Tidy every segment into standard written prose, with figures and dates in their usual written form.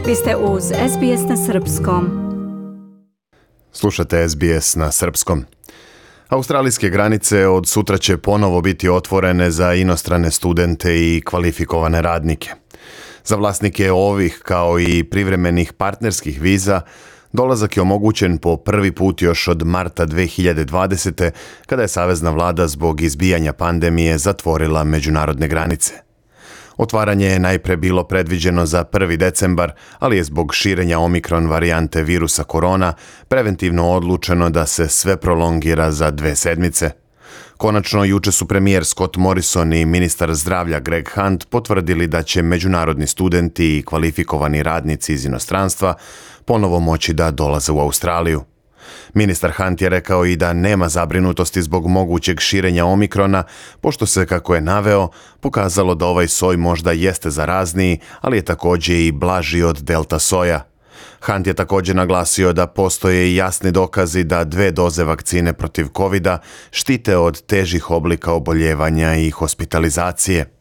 Vi ste uz SBS na Srpskom. Slušate SBS na Srpskom. Australijske granice od sutra će ponovo biti otvorene za inostrane studente i kvalifikovane radnike. Za vlasnike ovih, kao i privremenih partnerskih viza, dolazak je omogućen po prvi put još od marta 2020. kada je savezna vlada zbog izbijanja pandemije zatvorila međunarodne granice. Otvaranje je najpre bilo predviđeno za 1. decembar, ali je zbog širenja omikron varijante virusa korona preventivno odlučeno da se sve prolongira za 2 sedmice. Konačno, juče su premijer Scott Morrison i ministar zdravlja Greg Hunt potvrdili da će međunarodni studenti i kvalifikovani radnici iz inostranstva ponovo moći da dolaze u Australiju. Ministar Hunt je rekao i da nema zabrinutosti zbog mogućeg širenja omikrona, pošto se, kako je naveo, pokazalo da ovaj soj možda jeste zarazniji, ali je također i blaži od delta soja. Hunt je također naglasio da postoje i jasni dokazi da 2 doze vakcine protiv COVID-a štite od težih oblika oboljevanja i hospitalizacije.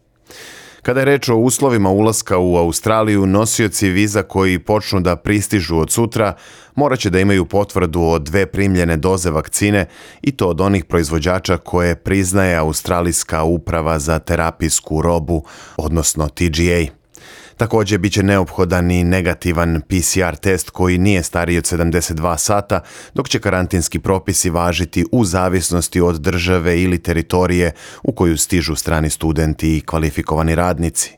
Kada je reč o uslovima ulaska u Australiju, nosioci viza koji počnu da pristižu od sutra morat će da imaju potvrdu o 2 primljene doze vakcine i to od onih proizvođača koje priznaje Australijska uprava za terapijsku robu, odnosno TGA. Također bit će neophodan i negativan PCR test koji nije stariji od 72 sata, dok će karantinski propisi važiti u zavisnosti od države ili teritorije u koju stižu strani studenti i kvalifikovani radnici.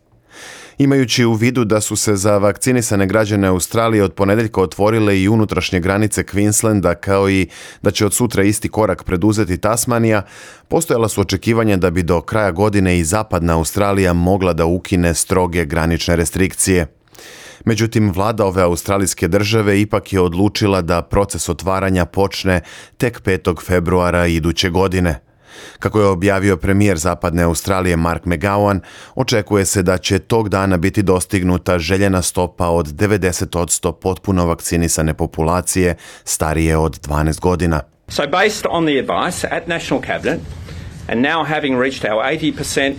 Imajući u vidu da su se za vakcinisane građane Australije od ponedjeljka otvorile i unutrašnje granice Queenslanda, kao i da će od sutra isti korak preduzeti Tasmanija, postojala su očekivanja da bi do kraja godine i zapadna Australija mogla da ukine stroge granične restrikcije. Međutim, vlada ove australijske države ipak je odlučila da proces otvaranja počne tek 5. februara iduće godine. Kako je objavio premijer zapadne Australije Mark McGowan, očekuje se da će tog dana biti dostignuta željena stopa od 90% potpuno vakcinisane populacije starije od 12 godina. So based on the advice at National Cabinet, and now having reached our 80%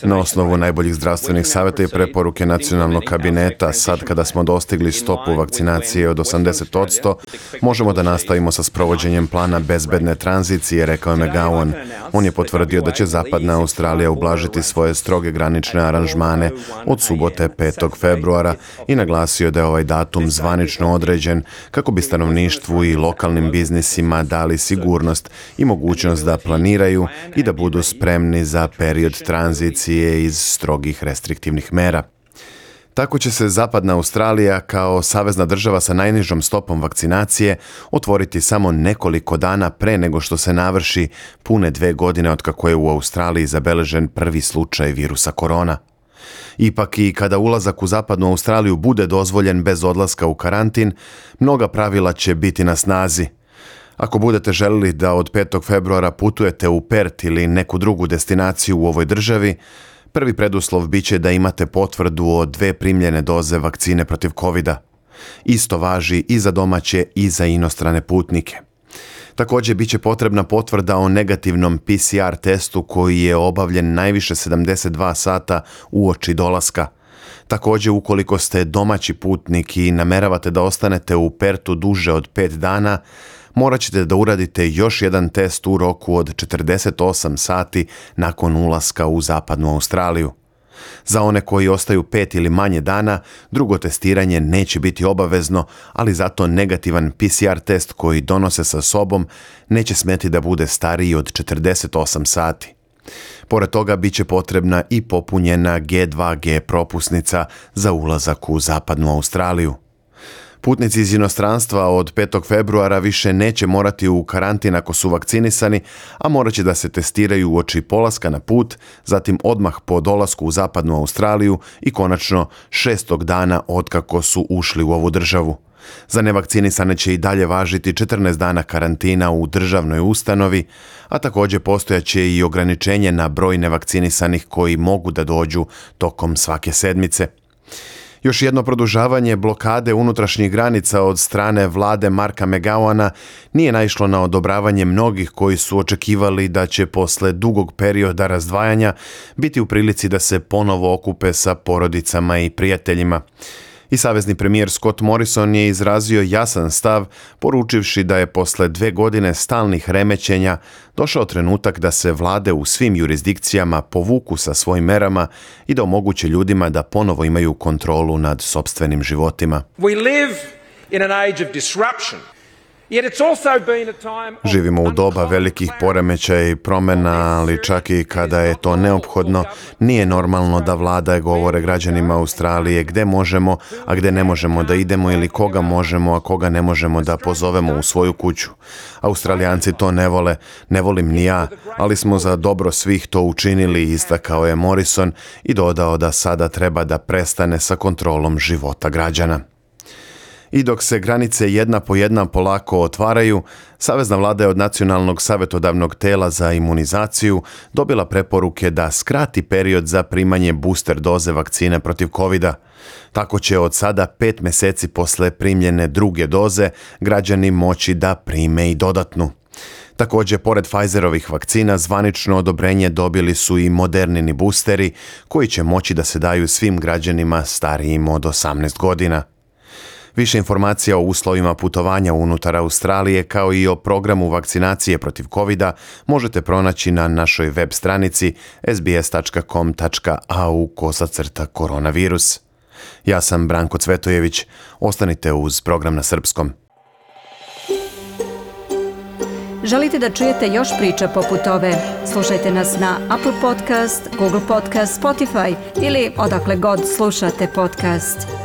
Na osnovu najboljih zdravstvenih savjeta i preporuke nacionalnog kabineta, sad kada smo dostigli stopu vakcinacije od 80%, možemo da nastavimo sa sprovođenjem plana bezbedne tranzicije, rekao je McGowan. On je potvrdio da će zapadna Australija ublažiti svoje stroge granične aranžmane od subote 5. februara i naglasio da je ovaj datum zvanično određen kako bi stanovništvu i lokalnim biznisima dali sigurnost i mogućnost da planiraju i da budu spremni za period tranzicije iz strogih restriktivnih mera. Tako će se zapadna Australija kao savezna država sa najnižom stopom vakcinacije otvoriti samo nekoliko dana pre nego što se navrši pune 2 godine od kako je u Australiji zabeležen prvi slučaj virusa korona. Ipak i kada ulazak u zapadnu Australiju bude dozvoljen bez odlaska u karantin, mnoga pravila će biti na snazi. Ako budete želili da od 5. februara putujete u Perth ili neku drugu destinaciju u ovoj državi, prvi preduslov biće da imate potvrdu o 2 primljene doze vakcine protiv COVID-a. Isto važi i za domaće i za inostrane putnike. Također biće potrebna potvrda o negativnom PCR testu koji je obavljen najviše 72 sata uoči dolaska. Također, ukoliko ste domaći putnik i nameravate da ostanete u Perthu duže od 5 dana, morat ćete da uradite još jedan test u roku od 48 sati nakon ulaska u zapadnu Australiju. Za one koji ostaju 5 ili manje dana, drugo testiranje neće biti obavezno, ali zato negativan PCR test koji donose sa sobom neće smeti da bude stariji od 48 sati. Pored toga bit će potrebna i popunjena G2G propusnica za ulazak u zapadnu Australiju. Putnici iz inostranstva od 5. februara više neće morati u karantin ako su vakcinisani, a morat će da se testiraju uoči polaska na put, zatim odmah po dolasku u zapadnu Australiju i konačno 6. dana otkako su ušli u ovu državu. Za nevakcinisane će i dalje važiti 14 dana karantina u državnoj ustanovi, a također postojaće i ograničenje na broj nevakcinisanih koji mogu da dođu tokom svake sedmice. Još jedno produžavanje blokade unutrašnjih granica od strane vlade Marka McGowana nije naišlo na odobravanje mnogih koji su očekivali da će posle dugog perioda razdvajanja biti u prilici da se ponovo okupe sa porodicama i prijateljima. I savezni premijer Scott Morrison je izrazio jasan stav, poručivši da je posle 2 godine stalnih remećenja došao trenutak da se vlade u svim jurisdikcijama povuku sa svojim merama i da omoguće ljudima da ponovo imaju kontrolu nad sopstvenim životima. We live in an age of disruption. Yet it's also been a time of Živimo u doba velikih poremećaja i promjena, ali čak i kada je to neophodno, nije normalno da vlada govore građanima Australije gde možemo, a gde ne možemo da idemo ili koga možemo, a koga ne možemo da pozovemo u svoju kuću. Australijanci to ne vole, ne volim ni ja, ali smo za dobro svih to učinili, istakao je Morrison i dodao da sada treba da prestane sa kontrolom života građana. I dok se granice jedna po jedna polako otvaraju, savezna vlada je od Nacionalnog savjetodavnog tela za imunizaciju dobila preporuke da skrati period za primanje booster doze vakcine protiv covida. Tako će od sada 5 mjeseci posle primljene druge doze građani moći da prime i dodatnu. Također, pored Pfizerovih vakcina, zvanično odobrenje dobili su i Modernini boosteri koji će moći da se daju svim građanima starijim od 18 godina. Više informacija o uslovima putovanja unutar Australije kao i o programu vakcinacije protiv covida možete pronaći na našoj web stranici sbs.com.au/koronavirus. Ja sam Branko Cvetojević. Ostanite uz program na srpskom. Želite da čujete još priča poput ove? Slušajte nas na Apple Podcast, Google Podcast, Spotify ili odakle god slušate podcast.